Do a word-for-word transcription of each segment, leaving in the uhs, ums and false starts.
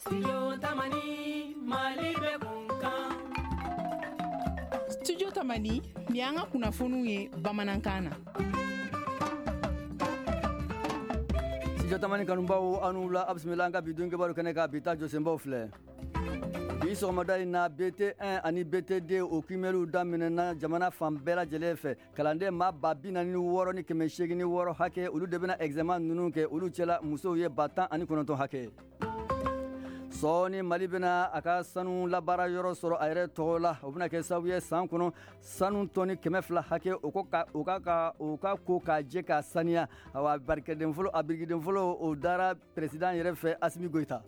Studio Tamani, Mali bɛ kun kan. Studio Tamani, nin y'an ka kunnafoniw ye bamanankan na. Studio Tamani kanubaw, aw ni wula, a bisimila an ka bi don kibaru kɛnɛ kan. Bi ta jɔsenbaw filɛ. Bi sɔgɔmada in na, B T un ani B T deux, o kiimɛliw daminɛna jamana fan bɛɛ lajɛlen fɛ. Kalanden maa ba bi naani ni wɔɔrɔ ni kɛmɛ seegin ni wɔɔrɔ hakɛ, olu de bɛna examen ninnu kɛ. Olu cɛla, musow ye ba tan ani kɔnɔntɔn hakɛ. Sɔɔni, Mali bɛna a ka sanu labaara yɔrɔ sɔrɔ a yɛrɛ tɔgɔ la. O bɛna kɛ sababu ye, san kɔnɔ, sanu tɔni kɛmɛ fila hakɛ, o ko ka o ka ka o ka ko k'a jɛ k'a saniya. Awa, barikɛden fɔlɔ, a birikiden fɔlɔ, o dara président yɛrɛ fɛ, Asimi Goyita.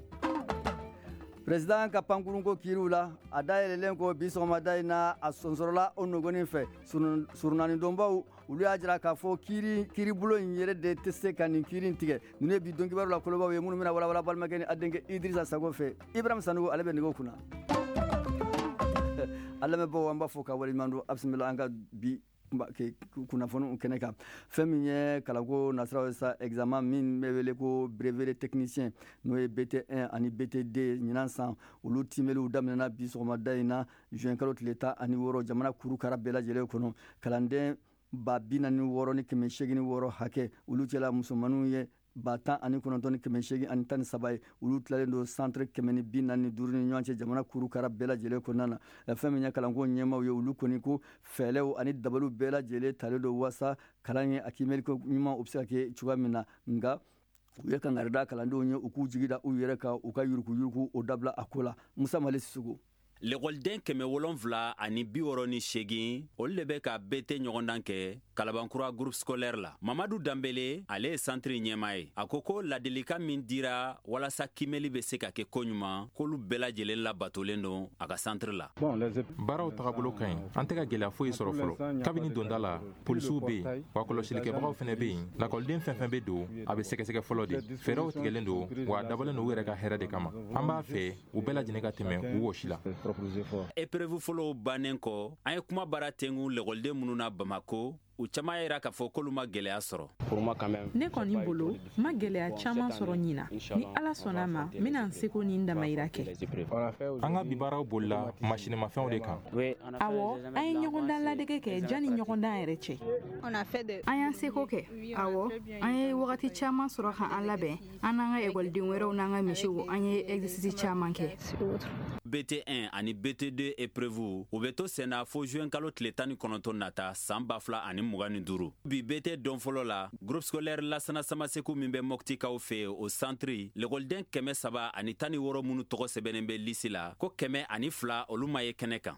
Président ka pankurunko kiiriw la, a dayɛlɛlen ko bi sɔgɔmada in na, a sonsɔrɔla o nɔgɔnin fɛ. Surunanidonbaw, olu y'a jira k'a fɔ kiiri kiiribulon in yɛrɛ de tɛ se ka nin kiiri in tigɛ. Ninnu ye bi don kibaru la kolobaw ye, minnu bɛna walawala balimakɛ ni a denkɛ Idrissa Sago fɛ. Ibrahim Sanogo, ale bɛ nɛgɛw kunna. A lamɛnbaaw, an b'a fɔ ka waleɲuman dɔn. A bisimila an ka bi kunnafoniw kɛnɛ kan. Fɛn min ye kalanko nasiraw ye sa, examen min bɛ wele ko brevet de technicien, n'o ye B T un ani B T deux, ɲinan san, olu timɛliw daminɛna bi sɔgɔmada in na, juin kalo tile tan ani wɔɔrɔ, jamana kurukara bɛɛ lajɛlen kɔnɔ. Kalanden ba bi naani wɔɔrɔ ni kɛmɛ seegin ni wɔɔrɔ hakɛ, olu cɛla musomaninw ye ba tan ani kɔnɔntɔn ni kɛmɛ seegin ani tan ni saba ye. Olu tilalen don centre kɛmɛ ni bi naani ni duuru ni ɲɔgɔn cɛ, jamana kurukara bɛɛ lajɛlen kɔnɔna na. Fɛn min ye kalanko ɲɛmaw ye, olu kɔni ko fɛɛrɛw ani dabaliw bɛɛ lajɛlen talen don waasa kalan ye a kiimɛliko ɲuman, o bɛ se ka kɛ cogoya min na. Nka u ye kangarida kalandenw ye, u k'u jigi da u yɛrɛ kan, u ka yuruguyurugu o dabila a ko la. Musa Mali Sisoko. Lekɔliden kɛmɛ wolonfila ani bi wɔɔrɔ ni seegin, olu de bɛ ka B T ɲɔgɔndan kɛ Kalabankura groupe scolaire la. Mamadu Danbele, ale ye santiri ɲɛma ye. A ko ko ladilikan min dira walasa kimɛli bɛ se ka kɛ koɲuman, k'olu bɛɛ lajɛlen labatolen don a ka santiri la. Baaraw tagabolo ka ɲi, an tɛ ka gwɛlɛya foyi sɔrɔ fɔlɔ. Kabini donda la, polisiw be yen, wa kɔlɔsilikɛbagaw fɛnɛ be yen. Lakɔliden fɛn fɛn be don, a be sɛgɛsɛgɛ fɔlɔ de. Fɛɛrɛw tigɛlen don, wa a dabɔlen don u yɛrɛ ka hɛrɛ de kama. An b'a fɛ u bɛɛ lajɛlen ka tɛmɛ u wɔsi la. Épreuve fɔlɔw bannen kɔ, an ye kuma baara tengu lekɔliden minnu na Bamako, u caman yira k'a fɔ k'olu ma gwɛlɛya sɔrɔ. Ne kɔni bolo, n ma gwɛlɛya caaman sɔrɔ ɲina. Ni Ala sɔnna ma, n bena n seko ni n damayira kɛ. An ka bi baaraw bolila masinimafɛnw de kan. Awɔ, an ye ɲɔgɔndan ladege kɛ janni ɲɔgɔndan yɛrɛ cɛ. An y'an seko kɛ. Awɔ, an ye wagati caaman sɔrɔ ka an labɛn, an n'an ka ekɔliden wɛrɛw n'an ka misiw. An ye exercice caaman kɛ. B T un ani B T deux épreuve, u bɛ to senna fo juin kalo tile tan ni kɔnɔntɔn nata, san ba fila ani mugan ni duuru. Bi B T don fɔlɔ la, groupe scolaire Lasana Samaseku min bɛ Mɔptikaw fɛ, o santiri, lekɔliden kɛmɛ saba ani tan ni wɔɔrɔ minnu tɔgɔ sɛbɛnnen bɛ lisi la, ko kɛmɛ ani fila, olu ma ye kɛnɛ kan.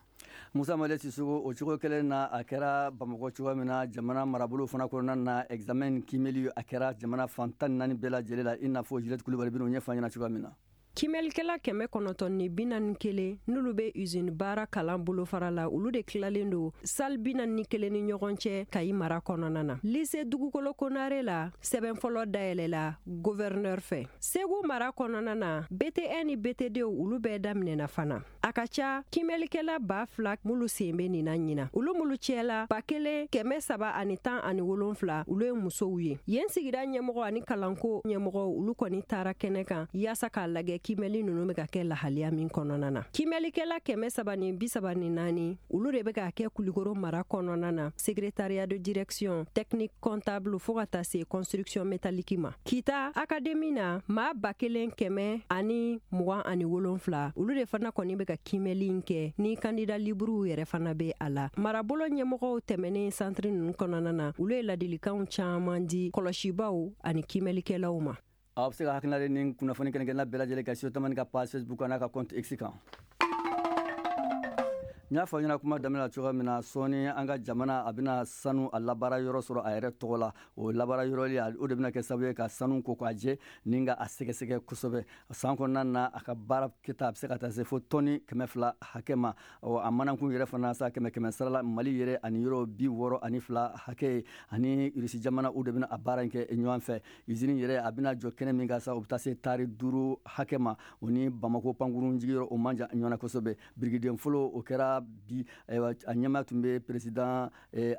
Musa Male Sisoko. O cogo kelen na, a kɛra Bamakɔ cogoya min na, jamana marabolo fana kɔnɔna na, examen kimɛli, a kɛra jamana fan tan ni naani bɛɛ lajɛlen la, i n'a fɔ Juliette Kulubali bɛn'o ɲɛfɔ an ɲɛna cogoya min na. Kimɛlikɛla kɛmɛ kɔnɔntɔn ni bi naani kelen, n'olu bɛ usine baara kalan bolofara la, olu de tilalen don salle bi naani ni kelen ni ɲɔgɔn cɛ Kayi mara kɔnɔna na. Lycée Dugukolo Konare la, sɛbɛn fɔlɔ dayɛlɛla gouverneur fɛ. Segu mara kɔnɔna na, B T un ni B T deux, olu bɛɛ daminɛna fana. A ka ca kimɛlikɛla ba fila minnu sen bɛ nin na ɲina, olu minnu cɛla ba kelen kɛmɛ saba ani tan ani wolonfila, olu ye musow ye. Yen sigida ɲɛmɔgɔ ani kalanko ɲɛmɔgɔ, olu kɔni taara kɛnɛ kan yaasa k'a lajɛ kimɛli ninnu bɛ ka kɛ lahaliya min kɔnɔna na. Kimɛlikɛla kɛmɛ saba ni bi saba ni naani, olu de bɛ ka kɛ Kulikoro mara kɔnɔna na, secrétariat de direction, technique comptable, fo ka taa se construction métallique ma. Kita académie na, maa ba kelen kɛmɛ ani mugan ani wolonfila, olu de fana kɔni bɛ ka kimɛli in kɛ, ni candidat librew yɛrɛ fana bɛ a la. Marabolo ɲɛmɔgɔw tɛmɛnen santiri ninnu kɔnɔna na, olu ye ladilikanw caman di kɔlɔsibaw ani kimɛlikɛlaw ma. Aw bɛ se ka hakilina ni kunnafoni kɛnɛ bɛɛ lajɛlen kan Studio Tamani ka page Facebook n'a ka compte X kan. N y'a fɔ ɲɛna kuma daminɛ la cogoya min na, sɔɔni an ka jamana a bɛna sanu a labaara yɔrɔ sɔrɔ a yɛrɛ tɔgɔ la. O labaara yɔrɔ, o de bɛna kɛ sababu ye ka sanu ko k'a jɛ ni ka a sɛgɛsɛgɛ kosɛbɛ. San kɔnɔna na, a ka baara kɛta, a bɛ se ka taa se fo tɔni kɛmɛ fila hakɛ ma. A manakun yɛrɛ fana sa, kɛmɛ kɛmɛ sara la, Mali yɛrɛ ani yɔrɔ bi wɔɔrɔ ani fila hakɛ ye ani Irisi jamana, o de bɛna a baara in kɛ ɲɔgɔn fɛ. Usine yɛrɛ, a bɛna jɔ kɛnɛ min kan sa, o bɛ taa se taari duuru hakɛ ma. O ni Bamako pankurun jigiyɔrɔ, o man jan ɲɔgɔn na kosɛbɛ. Birikiden fɔlɔ, o kɛra bi. A ɲɛmaa tun bɛ président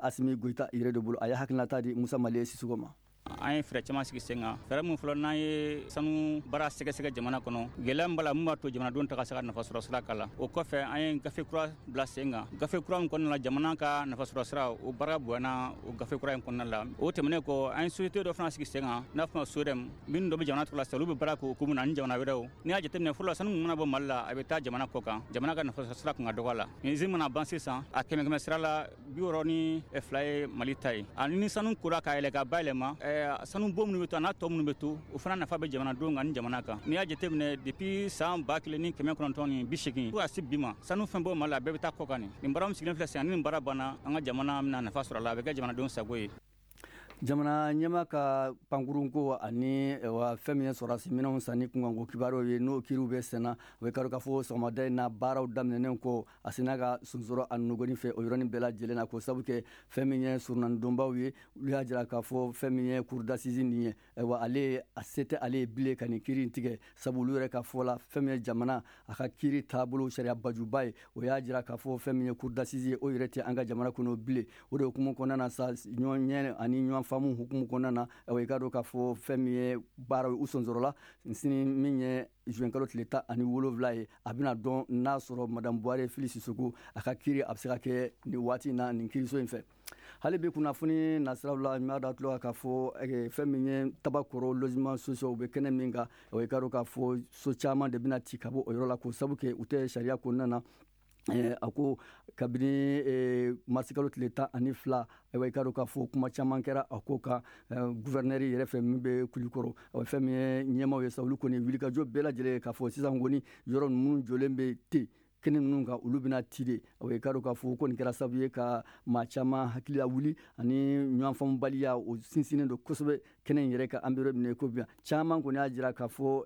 Asimi Goyita yɛrɛ de bolo. A ye hakilinata di Musa Male Sisoko ma. An ye fɛɛrɛ caman sigi sen kan, fɛɛrɛ min fɔlɔ n'an ye sanu baara sɛgɛsɛgɛ jamana kɔnɔ, gɛlɛya min b'a la mun b'a to jamanadenw ta ka se ka nafa sɔrɔ sira k'a la. O kɔfɛ an ye gafe kura bila sen kan, gafe kura min kɔnɔna la jamana ka nafa sɔrɔ sira o baara bonyana o gafe kura in kɔnɔna la. O tɛmɛnen kɔ an ye société dɔ fana sigi sen kan n'a fɔ ma SODEM, minnu dɔ bɛ jamana tɔgɔ la sisan, olu bɛ baara kɛ o hukumu na ani jamana wɛrɛw. N'i y'a jateminɛ fɔlɔ sanu min mana bɔ Mali la a bɛ taa jamana kɔ kan, jamana ka nafa sɔrɔ sira kun ka dɔgɔ a la. Nin usine mana ban sisan a kɛmɛ kɛmɛ sira la bi wɔɔrɔ ni fila ye Mali ta ye. Ani ni sanu kora ka yɛlɛ ka bayɛlɛma, sanu bon minnu bɛ to a n'a tɔ minnu bɛ to, o fana nafa bɛ jamanadenw kan ni jamana kan. N'i y'a jateminɛ depuis san ba kelen ni kɛmɛ kɔnɔntɔn ni bi seegin fo ka se bi ma, sanu fɛn bɔ Mali la a bɛɛ bɛ taa kɔ kan. Nin baara min sigilen filɛ sisan, ni nin baara banna an ka jamana bɛna nafa sɔrɔ a la, a bɛ kɛ jamanadenw sago ye. Jamana ɲɛma ka pankurunko ani wa fɛn min ye sɔrɔdasi minɛnw sanni kunkanko kibaruyaw ye, n'o kiiriw bɛ senna, o bɛ kari k'a fɔ sɔgɔmada in na baaraw daminɛnen kɔ a sina ka sonsoro a nɔgɔnin fɛ o yɔrɔnin bɛɛ lajɛlen na, k'o sabu kɛ fɛn min ye surunanidonbaw ye, olu y'a jira k'a fɔ fɛn min ye cour d'assises nin ye, wa ale a se tɛ ale ye bilen ka nin kiiri in tigɛ, sabu olu yɛrɛ ka fɔ la fɛn min ye jamana a ka kiiri taabolo sariya bajuba ye, o y'a jira k'a fɔ fɛn min ye cour d'assises ye o yɛrɛ tɛ an ka jamana kɔnɔ bilen. O de hukumu kɔnɔna na sa, ɲɔgɔn ɲɛ ani ɲɔgɔn faamu hukumu kɔnɔna na, i k'a dɔn k'a fɔ fɛn min ye baaraw ye u sonsɔrɔla sini min ye juin kalo tile tan ani wolonwula ye, a bɛna dɔn n'a sɔrɔ madame Buware Fili Sisoko a ka kiiri a bɛ se ka kɛ nin waati in na nin kiiriso in fɛ. Hali bi kunnafoni nasiraw la, n b'a da tulo kan k'a fɔ fɛn min ye Tabakɔrɔ logement sociaux u bɛ kɛnɛ min kan, i k'a dɔn k'a fɔ so caman de bɛna ci ka bɔ o yɔrɔ la, k'o sabu kɛ u tɛ sariya kɔnɔna na. A ko kabini marisikalo tile tan ani fila, ayiwa i k'a dɔn k'a fɔ kuma caman kɛra a ko kan gouverneur yɛrɛ fɛ min bɛ Kulikɔrɔ, fɛn min ye ɲɛmaaw ye sa, olu kɔni wulikajɔ bɛɛ lajɛlen k'a fɔ sisan kɔni yɔrɔ ninnu jɔlen bɛ ten kɛnɛ ninnu kan, olu bɛna ci de. I k'a dɔn k'a fɔ ko nin kɛra sababu ye ka maa caman hakili lawuli ani ɲɔgɔn faamubaliya, o sinsinnen don kosɛbɛ kɛnɛ in yɛrɛ kan. An bɛ yɔrɔ min na i ko bi, caman kɔni y'a jira k'a fɔ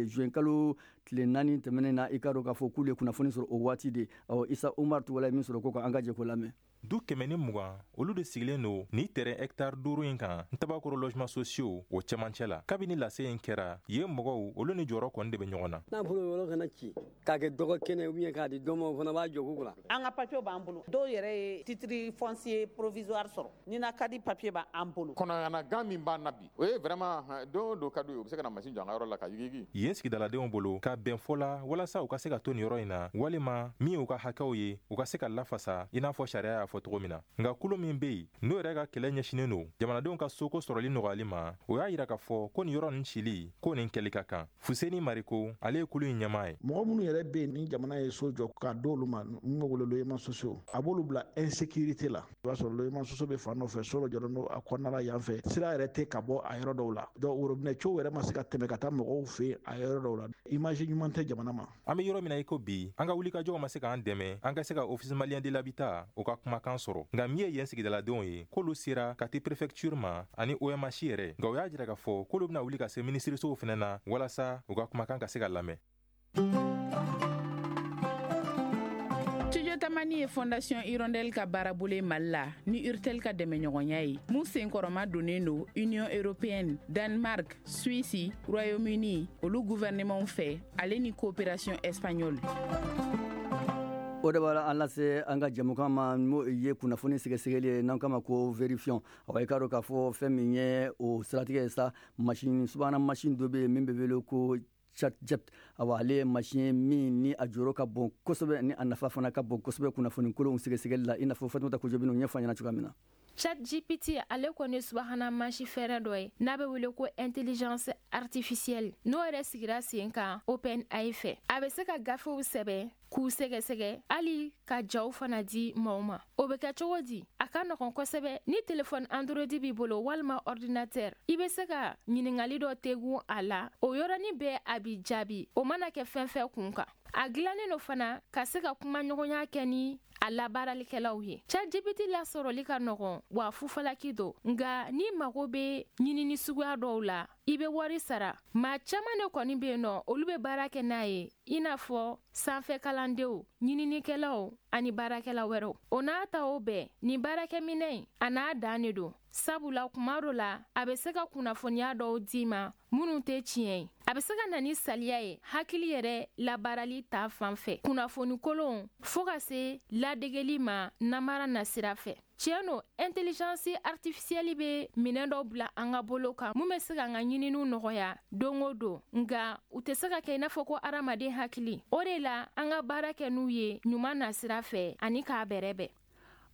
juin kalo tile naani tɛmɛnen na, i k'a dɔn k'a fɔ k'olu ye kunnafoni sɔrɔ o waati de. Ɔ Isa Umar Tugala ye min sɔrɔ ko kan, an ka jɛ k'o lamɛn. Du kɛmɛ ni mugan olu de sigilen don ni terrain hectare duuru in kan Tabakɔrɔ logement sociaux o cɛmancɛ la. Kabini lase in kɛra yen, mɔgɔw olu ni jɔyɔrɔ kɔni de bɛ ɲɔgɔn na. N'a fɔra yɔrɔ kana ci k'a kɛ dɔgɔ kɛnɛ ou bien k'a di dɔ ma, o fana b'a jɔ ko la. An ka papier b'an bolo, dɔw yɛrɛ ye titre foncier provisoire sɔrɔ, ni na ka di papier b'an bolo. Kɔnɔyana min b'an na bi, o ye vraiment don o don ka d'u ye, u bɛ se ka na machine jɔ an ka yɔrɔ la ka yigiyigi. Yen sigidaladenw bolo ka bɛn fɔ la walasa u ka se ka to nin yɔrɔ in na, walima min y'u ka hakɛw ye u ka se ka lafasa i n'a fɔ sariya y'a fɔ cogo min na. Nka kulu min bɛ yen n'o yɛrɛ ka kɛlɛ ɲɛsinnen don jamanadenw ka soko sɔrɔli nɔgɔyali ma, o y'a yira k'a fɔ ko nin yɔrɔ nin cili ko nin kɛli ka kan. Fuseni Mariko, ale ye kulu in ɲɛmaa ye. Mɔgɔ minnu yɛrɛ bɛ yen ni jamana ye so jɔ k'a d'olu ma, min bɛ wele logement sociaux, a b'olu bila insécurité la. I b'a sɔrɔ logement sociaux bɛ fan dɔ fɛ, so dɔ jɔlen don a kɔnɔna la yan fɛ, sira yɛrɛ tɛ ka bɔ a yɔrɔ dɔw la, donc robinet cow yɛrɛ ma se ka tɛmɛ ka taa mɔgɔw fɛ yen a yɔrɔ dɔw la. Image ɲuman tɛ jamana ma. An bɛ yɔrɔ min na i ko bi, an ka wulikajɔw ma se k'an dɛmɛ an ka se ka Office malien de l'habitat o ka kumakan sɔrɔ. Nka min ye yen sigidaladenw ye, k'olu sera ka te préfecture ma ani O M H yɛrɛ, nka o y'a jira k'a fɔ k'olu bɛna wuli ka se minisirisow fana na walasa u ka kumakan ka se ka lamɛn. Studio Tamani ye Fondation Hirondelle ka baarabolo ye Mali la ni Urtel ka dɛmɛɲɔgɔnya ye, mun senkɔrɔma donnen don Union européenne, Danemark, Suisse, Royaume-Uni olu gouvernement fɛ, ale ni coopération espagnole. O de b'a an lase an ka jɛmukan ma, n'o ye kunnafoni sɛgɛsɛgɛli ye n'an k'a ma ko vérifions. Awa i k'a dɔn k'a fɔ fɛn min ye o siratigɛ ye sa, machine subahana machine dɔ bɛ yen min bɛ wele ko ChatGPT. Awa ale ye machine ye min ni a jɔyɔrɔ ka bon kosɛbɛ, ni a nafa fana ka bon kosɛbɛ kunnafoni kolonw sɛgɛsɛgɛli la, i n'a fɔ Fatumata Kojo bɛn'o ɲɛfɔ an ɲɛna cogoya min na. ChatGPT ale kɔni subahana mansi fɛɛrɛ dɔ ye n'a bɛ wele ko intelligence artificielle, n'o yɛrɛ sigira sen kan OpenAI fɛ. A bɛ se ka gafew sɛbɛn k'u sɛgɛsɛgɛ, hali ka jaw fana di maaw ma. O bɛ kɛ cogo di? A ka nɔgɔn kosɛbɛ. Ni telefɔni Android b'i bolo walima ordinateur, i bɛ se ka ɲininkali dɔ tegun a la, o yɔrɔnin bɛɛ a b'i jaabi, o mana kɛ fɛn fɛn kun kan. A dilannen don fana ka se ka kumaɲɔgɔnya kɛ ni a labaaralikɛlaw ye. ChatGPT lasɔrɔli ka nɔgɔn wa fufalaki don, nka n'i mago bɛ ɲinini suguya dɔw la, i bɛ wari sara. Maa caman de kɔni bɛ yen nɔ, olu bɛ baara kɛ n'a ye, i n'a fɔ sanfɛ kalandenw, ɲininikɛlaw ani baarakɛla wɛrɛw. O n'a ta o bɛɛ, nin baarakɛminɛn in a n'a dan de don, sabula kuma dɔ la a bɛ se ka kunnafoniya dɔw d'i ma minnu tɛ tiɲɛ ye. A bɛ se ka na ni saliya ye hakili yɛrɛ labaarali ta fan fɛ, kunnafoni kolonw fo ka se ladegeli ma namara nasira fɛ. Tiɲɛ don, intelligence artificielle bɛ minɛn dɔw bila an ka bolo kan mun bɛ se k'an ka ɲininiw nɔgɔya don o don, nka u tɛ se ka kɛ i n'a fɔ ko hadamaden hakili. O de la an ka baara kɛ n'u ye ɲuman nasira fɛ ani k'a bɛrɛbɛn.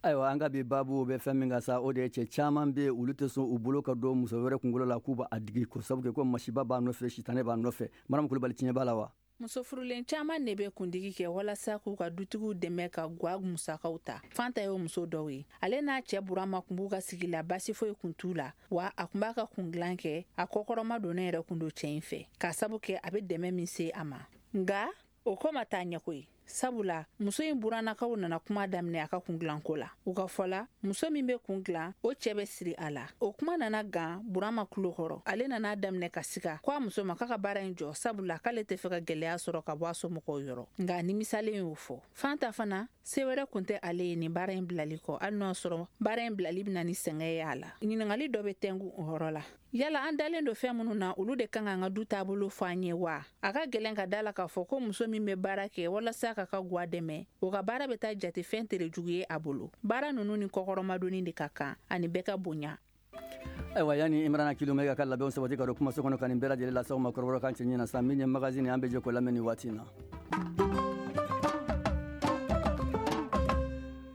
Ayiwa, an ka bi baabu bɛ fɛn min kan sa, o de ye cɛ caman bɛ yen, olu tɛ sɔn u bolo ka don muso wɛrɛ kunkolo la k'u b'a digi, ko sabu kɛ ko masiba b'a nɔfɛ, sitanɛ b'a nɔfɛ. Maramu Kulubali, tiɲɛ b'a la wa? Muso furulen caman de bɛ kundigi kɛ walasa k'u ka dutigiw dɛmɛ ka gwa musakaw ta. Fanta ye o muso dɔw ye. Ale n'a cɛ Burama kun b'u ka sigi la, basi foyi kun t'u la, wa a kun b'a ka kundilan kɛ, a kɔkɔrɔma donnen yɛrɛ kun don cɛ in fɛ, k'a sabu kɛ a bɛ dɛmɛ min se a ma. Nka o ko ma taa ɲɛ koyi, sabula muso in burannakaw nana kuma daminɛ a ka kundilanko la. U ka fɔ la, muso min bɛ kun dilan, o cɛ bɛ siri a la. O kuma nana gan Burama tulo kɔrɔ. Ale nana daminɛ ka siga ko a muso ma k'a ka baara in jɔ, sabula k'ale tɛ fɛ ka gɛlɛya sɔrɔ ka bɔ a somɔgɔw yɔrɔ. Nka nimisalen y'o fɔ. Fanta fana, se wɛrɛ kun tɛ ale ye nin baara in bilali kɔ, hali n'o y'a sɔrɔ baara in bilali bɛna ni sɛgɛn ye a la. Ɲininkali dɔ bɛ tɛnku o yɔrɔ la. Yala an dalen don fɛn minnu na, olu de kan k'an ka du taabolo fɔ an ye wa? A ka gɛlɛn ka da la k'a fɔ ko muso min bɛ baara kɛ walasa k'a ka gwa dɛmɛ, o ka baara bɛ taa jate fɛn tere jugu ye a bolo. Baara ninnu ni kɔkɔrɔmadonni de ka kan ani bɛɛ ka bonya. Ayiwa, yanni Imrana Kilomɛ ka labɛnw sabati ka don kumaso kɔnɔ ka nin bɛɛ lajɛlen lase aw ma kɔrɔbɔrɔkan cɛɲi na sa, min ye magazine, an bɛ jɛ k'o lamɛn nin waati in na.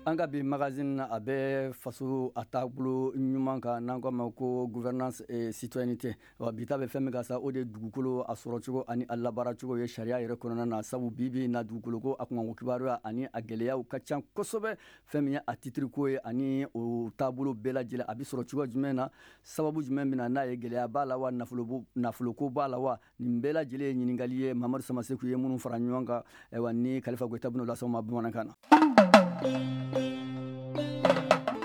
An ka bi magazine na, a bɛ faso a taabolo ɲuman kan, n'an ko a ma ko gouvernance et citoyenneté. Wa bi ta bɛ fɛn min kan sa, o de ye dugukolo a sɔrɔcogo ani a labaaracogo ye sariya yɛrɛ kɔnɔna na, sabu bi bi in na dugukolo ko a kunkanko kibaruya ani a gɛlɛyaw ka ca kosɛbɛ. Fɛn min ye a titre ko ye ani o taabolo bɛɛ lajɛlen, a bɛ sɔrɔ cogo jumɛn na, sababu jumɛn bɛ na n'a ye, gɛlɛya b'a la wa, nafolo nafoloko b'a la wa, nin bɛɛ lajɛlen ye ɲininkali ye Mamadu Samaseku ye minnu fara ɲɔgɔn kan. Ayiwa, ni Kalifa Goyita bɛn'o lase aw ma bamanankan na.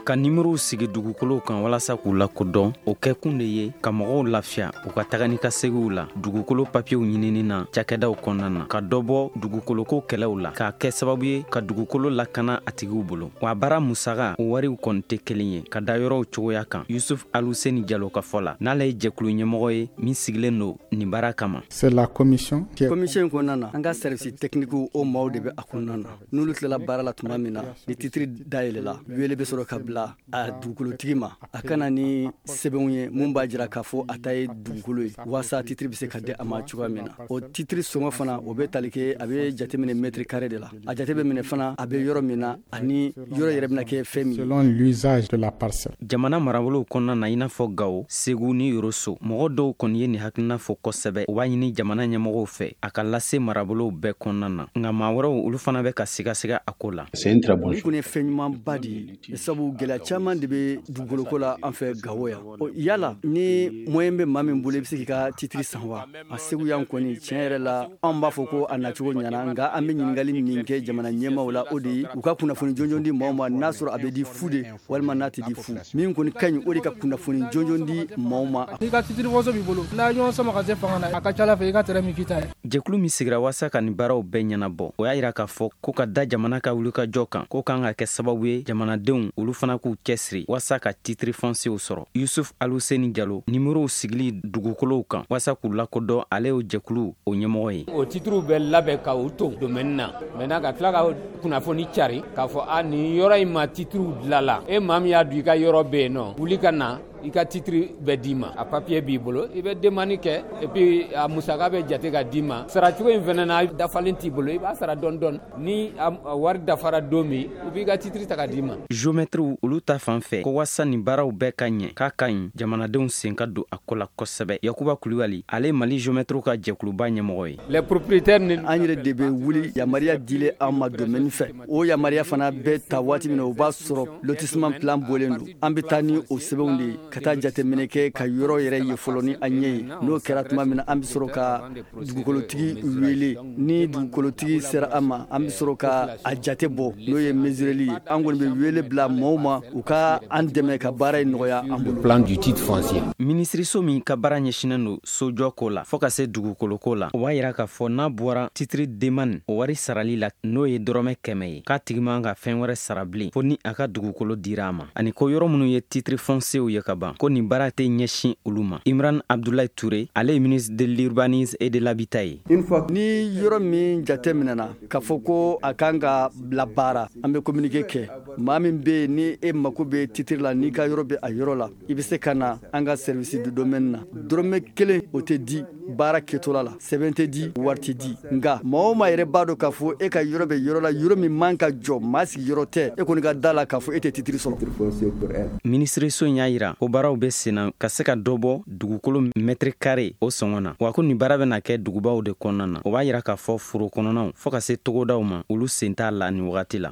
Ka nimorow sigi dugukolow kan walasa k'u lakodɔn, o kɛkun de ye ka mɔgɔw lafiya u ka taga ni ka segiw la dugukolo papiyew ɲinini na cakɛdaw kɔnɔna na, ka dɔ bɔ dugukoloko kɛlɛw la, k'a kɛ sababu ye ka dugukolo lakana a tigiw bolo. Wa baara musaga o wariw kɔni tɛ kelen ye ka da yɔrɔw cogoya kan. Yusuf Aluseni Jalo ka fɔ la, n'ale ye jɛkulu ɲɛmɔgɔ ye min sigilen don nin baara kama. C'est la commission. Commission kɔnɔna na, an ka service technique o maaw de bɛ a kɔnɔna na. N'olu tilala baara la tuma min na, ni titre dayɛlɛla, wele bɛ sɔrɔ ka bila a dugukolotigi ma, a kana ni sɛbɛnw ye mun b'a jira k'a fɔ a ta ye dugukolo ye, walasa titiri bɛ se ka di a ma cogoya min na. O titiri sɔngɔ fana, o bɛ tali kɛ, a bɛ jateminɛ mètre carré de la. A jate bɛ minɛ fana a bɛ yɔrɔ min na ani yɔrɔ yɛrɛ bɛna kɛ fɛn min. Selon l'usage de la parcelle. Jamana marabolow kɔnɔna na, i n'a fɔ Gawo, Segu ni Yoroso, mɔgɔ dɔw kɔni ye nin hakilina fɔ kosɛbɛ. U b'a ɲini jamana ɲɛmɔgɔw fɛ a ka lase marabolow bɛɛ kɔnɔna na, nka maa wɛrɛw olu fana bɛ ka sigasiga a ko la. Nin kɔni ye fɛn ɲumanba de ye, sabu gɛlɛya caman de bɛ dugukoloko la an fɛ Gawo yan. Yala ni moyen bɛ maa min bolo, i bɛ se k'i ka titiri san wa? A Segu yan kɔni, tiɲɛ yɛrɛ la, anw b'a fɔ ko a nacogo ɲɛna, nka an bɛ ɲininkali min kɛ jamana ɲɛmaaw la, o de ye u ka kunnafoni jɔnjɔn di maaw ma, n'a sɔrɔ a bɛ di fu de walima n'a tɛ di fu. Min kɔni ka ɲi, o de ka kunnafoni jɔnjɔn di maaw ma. N'i ka titiri waso b'i bolo, n'a ye ɲɔgɔn sama ka se fanga na, a ka ca ala fɛ i ka tɛrɛ min k'i ta ye. Jɛkulu min sigira waasa ka nin baaraw bɛɛ ɲɛnabɔ, o y'a yira k'a fɔ ko ka da jamana ka wulikajɔ kan, ko kan ka kɛ sababu ye jamanadenw olu fana k'u cɛsiri waasa ka titiri fɔnsew sɔrɔ. Yusuf Aluseni Jalo, nimorow sigili dugukolow kan waasa k'u lakodɔn, ale y'o jɛkulu o ɲɛmɔgɔ ye. O titiriw bɛ labɛn ka u to domaine na maintenant, ka tila ka kunnafoni cari k'a fɔ a nin yɔrɔ in ma titiriw dilala, e maa min y'a dun i ka yɔrɔ bɛ yen nɔ, wuli ka na i ka titiri bɛ d'i ma, a papier b'i bolo, i bɛ demande kɛ et puis a musaka bɛ jate ka d'i ma. Saracogo in fana na, dafalen t'i bolo, i b'a sara dɔɔni dɔɔni, ni a wari dafara don min, u b'i ka titiri ta ka d'i ma. Géomètres olu ta fan fɛ, ko waasa nin baaraw bɛɛ ka ɲɛ, k'a ka ɲi jamanadenw sen ka don a ko la kosɛbɛ. Yakuba Kulibali, ale Mali géomètres ka jɛkuluba ɲɛmɔgɔ ye. Les propriétaires ni an yɛrɛ de bɛ wuli yamaruya dilen an ma domaine fɛ, o yamaruya fana bɛ ta waati min na, o b'a sɔrɔ lotissement plan bɔlen don. An bɛ taa ni o sɛbɛnw de ye ka taa jateminɛ kɛ ka yɔrɔ yɛrɛ ye fɔlɔ ni an ɲɛ ye. N'o kɛra tuma min na, an bɛ sɔrɔ ka dugukolotigi wele. Ni dugukolotigi sera an ma, an bɛ sɔrɔ ka a jate bɔ, n'o ye mesureli ye. An kɔni bɛ wele bila maaw ma u ka an dɛmɛ ka baara in nɔgɔya an bolo. Plan du titre foncier. Minisiriso min ka baara ɲɛsinnen don sojɔ ko la fo ka se dugukoloko la, o b'a yira k'a fɔ n'a bɔra titiri demande o wari sarali la, n'o ye dɔrɔmɛ kɛmɛ ye, k'a tigi man ka fɛn wɛrɛ sara bilen fo ni a ka dugukolo dira a ma, ani ko yɔrɔ minnu ye titiri foncier ye ka ban, ban, ko nin baara tɛ ɲɛsin olu ma. Imran Abdoulaye Touré, ale ye ministre de l'urbanisme et de l'habitat ye. Ni yɔrɔ min jate minɛna k'a fɔ ko a kan ka bila baara, an bɛ communiqué kɛ. Maa min bɛ yen ni e mako bɛ titre la, n'i ka yɔrɔ bɛ a yɔrɔ la, i bɛ se ka na an ka service de domaine na. Dɔrɔmɛ kelen o tɛ di baara kɛtɔla la, sɛbɛn tɛ di, wari tɛ di. Nka maa o maa yɛrɛ b'a dɔn k'a fɔ e ka yɔrɔ bɛ yɔrɔ la, yɔrɔ min man ka jɔ, maa sigiyɔrɔ tɛ, e kɔni ka da la k'a fɔ e tɛ titre sɔrɔ. Minisiriso in y'a yira ko baaraw bɛ senna ka se ka dɔ bɔ dugukolo mètre carré o sɔngɔ na, wa ko nin baara bɛna kɛ dugubaw de kɔnɔna na. O b'a yira k'a fɔ foro kɔnɔnaw fɔɔ ka se togodaw ma, olu sen t'a la nin wagati la.